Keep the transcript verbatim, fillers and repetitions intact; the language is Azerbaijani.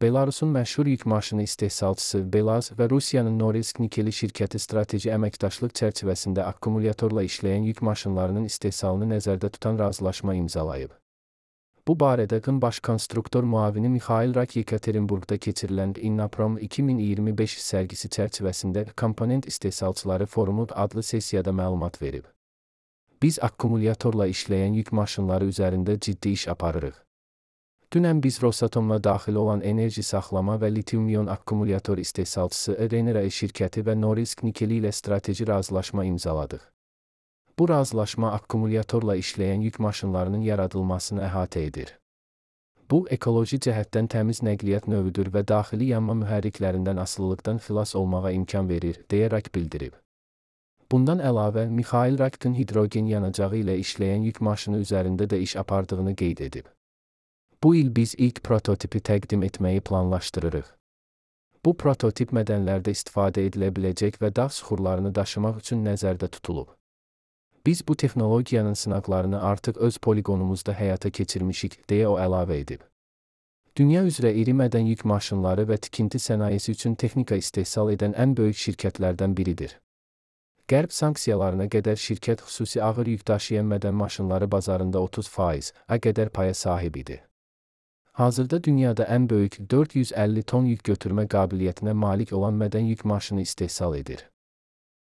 Belarusun məşhur yük maşını istehsalçısı Belaz və Rusiyanın Norilsk Nikeli şirkəti strateji əməkdaşlıq çərçivəsində akkumulyatorla işləyən yük maşınlarının istehsalını nəzərdə tutan razılaşma imzalayıb. Bu barədə Qın baş konstruktor müavini Mixail Rak Yekaterinburqda keçirilən Innoprom iki min iyirmi beş sərgisi çərçivəsində Komponent İstehsalçıları Forumu adlı sessiyada məlumat verib. Biz akkumulyatorla işləyən yük maşınları üzərində ciddi iş aparırıq. Dünən biz Rosatomla daxil olan enerji saxlama və litium-ion akkumulyator istehsalçısı Renera şirkəti və Norilsk Nikeli ilə strateji razılaşma imzaladıq. Bu razılaşma akkumulyatorla işləyən yük maşınlarının yaradılmasını əhatə edir. Bu, ekoloji cəhətdən təmiz nəqliyyat növüdür və daxili yanma mühərriklərindən asılılıqdan xilas olmağa imkan verir, deyə Rak bildirib. Bundan əlavə, Mixail Rakın hidrogen yanacağı ilə işləyən yük maşını üzərində də iş apardığını qeyd edib. Bu il biz ilk prototipi təqdim etməyi planlaşdırırıq. Bu prototip mədənlərdə istifadə edilə biləcək və dağ süxurlarını daşımaq üçün nəzərdə tutulub. Biz bu texnologiyanın sınaqlarını artıq öz poligonumuzda həyata keçirmişik, deyə o əlavə edib. Dünya üzrə iri mədən yük maşınları və tikinti sənayesi üçün texnika istehsal edən ən böyük şirkətlərdən biridir. Qərb sanksiyalarına qədər şirkət xüsusi ağır yük daşıyan mədən maşınları bazarında otuz faiz qədər paya sahib idi. Hazırda dünyada ən böyük dörd yüz əlli ton yük götürmə qabiliyyətinə malik olan mədən yük maşını istehsal edir.